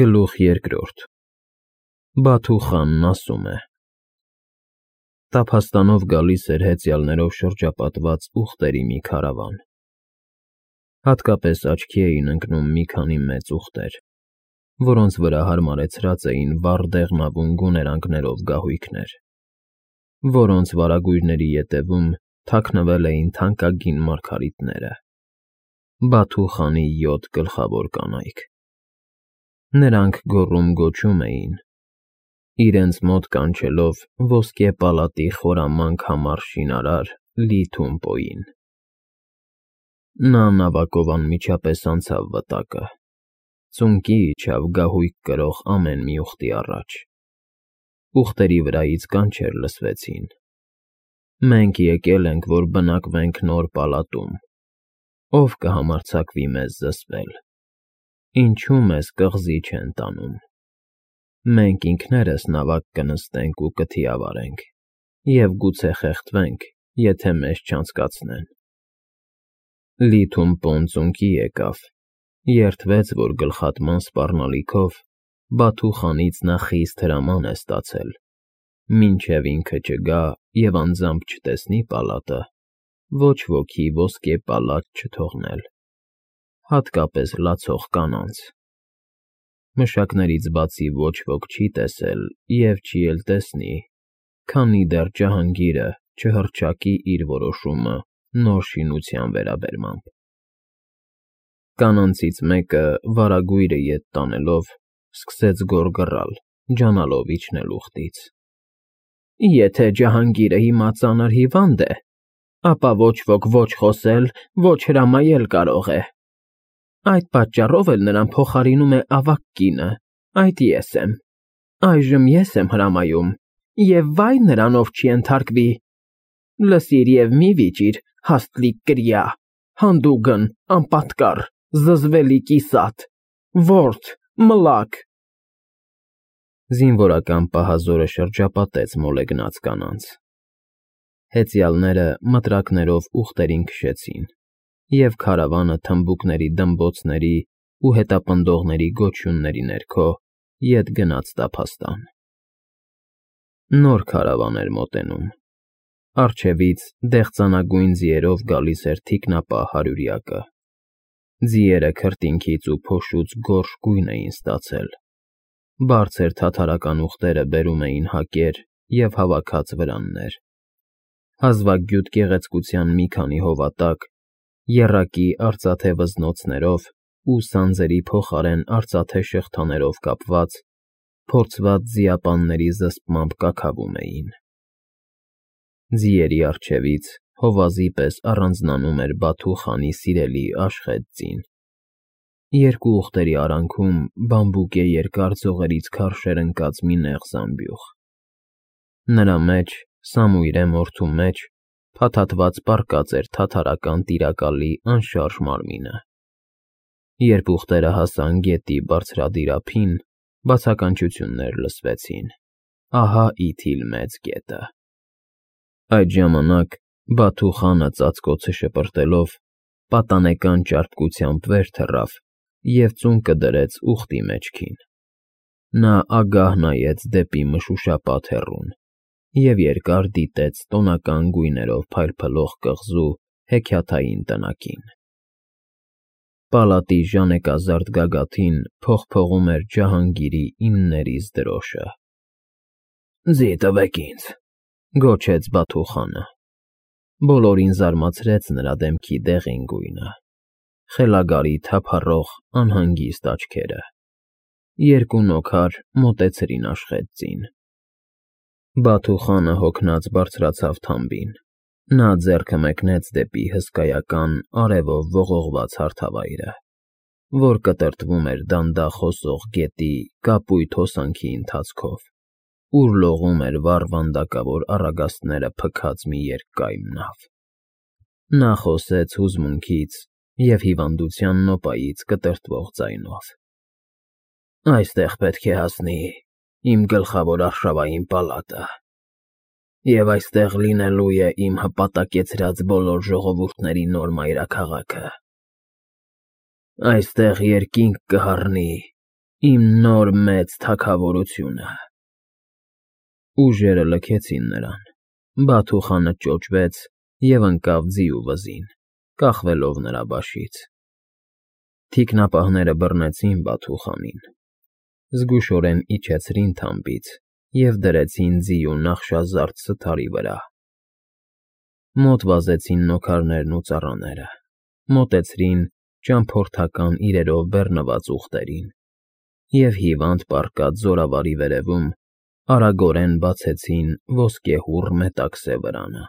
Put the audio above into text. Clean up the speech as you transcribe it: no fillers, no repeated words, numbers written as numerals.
Գլուխ երկրորդ Բաթու խանն ասում է. Տափաստանով գալիս էր հեծյալներով շրջապատված ուղտերի մի քարավան. հատկապես աչքի էին ընկնում մի քանի մեծ ուղտեր, որոնց վրա հարմարեցրած էին վառ դեղնավուն գուներանգներով գահույքներ, որոնց վարագույրների ետևում թաքնվել էին թանկագին մարգարիտները, Բաթու խանի 7 գլխավոր կանայք. Նրանք գոռում-գոչում էին, իրենց մոտ կանչելով ոսկե պալատի խորամանկ համառ շինարար Լի Թումպոյին. Նա նավակով անմիջապես անցավ վտակը, ծունկի իջավ գահույք կրող ամեն մի ուղտի առաջ, ուղտերի վրայից կանչեր լսվեցին. Մենք եկել ենք, որ բնակվենք նոր պալատում, ով կհամարձակվի մեզ զսպել, ինչու մեզ կղզի չեն տանում, մենք ինքներս նավակ կնստենք ու կթիավարենք և գուցե խեղդվենք, եթե մեզ չանցկացնեն։ Լի Թումպոն ծունկի եկավ, երդվեց, որ գլխատման սպառնալիքով Բաթու խանից նա խիստ հրաման է ստացել, մինչև ինքը չգա և անձամբ չտեսնի պալատը, ոչ ոքի ոսկե պալատ չթողնել, հատկապես լացող կանանց։ Մշակներից բացի ոչ ոք չի տեսել և չի էլ տեսնի, քանի դեռ Ջահանգիրը չհռչակի իր որոշումը նոր շինության վերաբերմամբ։ Կանանցից մեկը վարագույրը ետ տանելով սկսեց գոռգռալ, ջանալով իջնել ուղտից. Եթե Ջահանգիրը հիմա ծանր հիվանդ է, ապա ոչ ոք ոչ խոսել, ոչ հրամայել կարող է։ Այդ պատճառով էլ նրան փոխարինում է ավագ կինը, այդ ես եմ, այժմ ես եմ հրամայում, և վայ նրան, ով չի ենթարկվի։ Լսիր և մի վիճիր, հաստլիկ կրյա, հանդուգն, անպատկառ, զզվելի կիսատ, ворթ, մլաք։ Զինվորական պահազորը շրջապատեց մոլեգնած կանանց։ Հեծյալները մտրակներով ուղտերին քշեցին, և քարավանը թմբուկների դմբոցների ու հետապնդողների գոչյունների ներքո ետ գնաց տափաստան։ Նոր քարավան էր մոտենում, առջևից դեղծանագույն ձիերով գալիս էր թիկնապահ հարյուրյակը, ձիերը քրտինքից ու փոշուց գորշ գույն էին ստացել, բարձր թաթարական ուղտերը բերում էին հակեր և հավաքած վրաններ, հազվագյուտ գեղեցկության մի քանի հովատակ, եռակի արծաթե վզնոցներով ու սանձերի փոխարեն արծաթե շղթաներով կապված, փորձված ձիապանների զսպմամբ կաքավում էին։ Ձիերի առջևից հովազի պես առանձնանում էր Բաթու խանի սիրելի Աշխեթ ձին։ Երկու ուղտերի արանքում բամբուկե երկար ձողերից քարշ էր ընկած մի նեղ զամբյուղ։ Նրա մեջ, սամույրե մորթու մեջ, փաթաթված պառկած էր թաթարական տիրակալի անշարժ մարմինը։ Երբ ուղտերը հասան գետի բարձրադիր ափին, բացականչություններ լսվեցին. ահա իթիլ մեծ գետը։ Այդ ժամանակ Բաթու խանը ծածկոցը շպրտելով պատանեկան ճարպկությամբ վեր թռավ և ծունկը դրեց ուղտի մեջքին։ Նա ագահ նայեց դեպի մշուշապատ հեռուն և երկար դիտեց տոնական գույներով փայլփլող կղզու հեքիաթային տնակին։ Պալատի ժանեկազարդ գագաթին փողփողում էր Ջահանգիրի իններիս դրոշը։ Ձի տվեք ինձ, գոչեց Բաթու խանը։ Բոլորին զարմացրեց նրա դեմքի դեղին գույնը, խելագարի թափառող անհանգիստ աչքերը։ Երկու նոքար մոտեցրին Աշխեթ ձին։ Բաթու խանը հոգնած բարձրացավ թամբին։ Նա ձեռքը մեկնեց դեպի հսկայական արևով ողողված հարթավայրը, որ կտրտվում էր դանդաղ հոսող գետի կապույտ հոսանքի ընթացքով, ուր լողում էր վառ վանդակավոր առագաստները փքած մի երկկայմ նավ։ Նա խոսեց հուզմունքից և հիվանդության նոպայից կտրտվող ձայնով. Այստեղ պետք է հասնի իմ գլխավոր արշավային պալատը, և այստեղ լինելու է իմ հպատակեցրած բոլոր ժողովուրդների նոր մայրաքաղաքը։ Այստեղ երկինք կհառնի Իմ նոր մեծ թագավորությունը։ Ուժերը լքեցին նրան, Բաթուխանը ճոճվեց և ընկավ ձիու վզին, կախվելով նրա բաշից։ Թիկնապահները բռնեցին Բաթուխանին, զգուշորեն իջեցրին թամբից և դրեցին ձիու նախշազարդ սթարի վրա։ Մոտ վազեցին նոքարներն ու ծառաները, մոտեցրին ճամփորդական իրերով բեռնված ուղտերին և հիվանդ պառկած զորավարի վերևում արագորեն բացեցին ոսկեհուռ մետաքսե վրանը։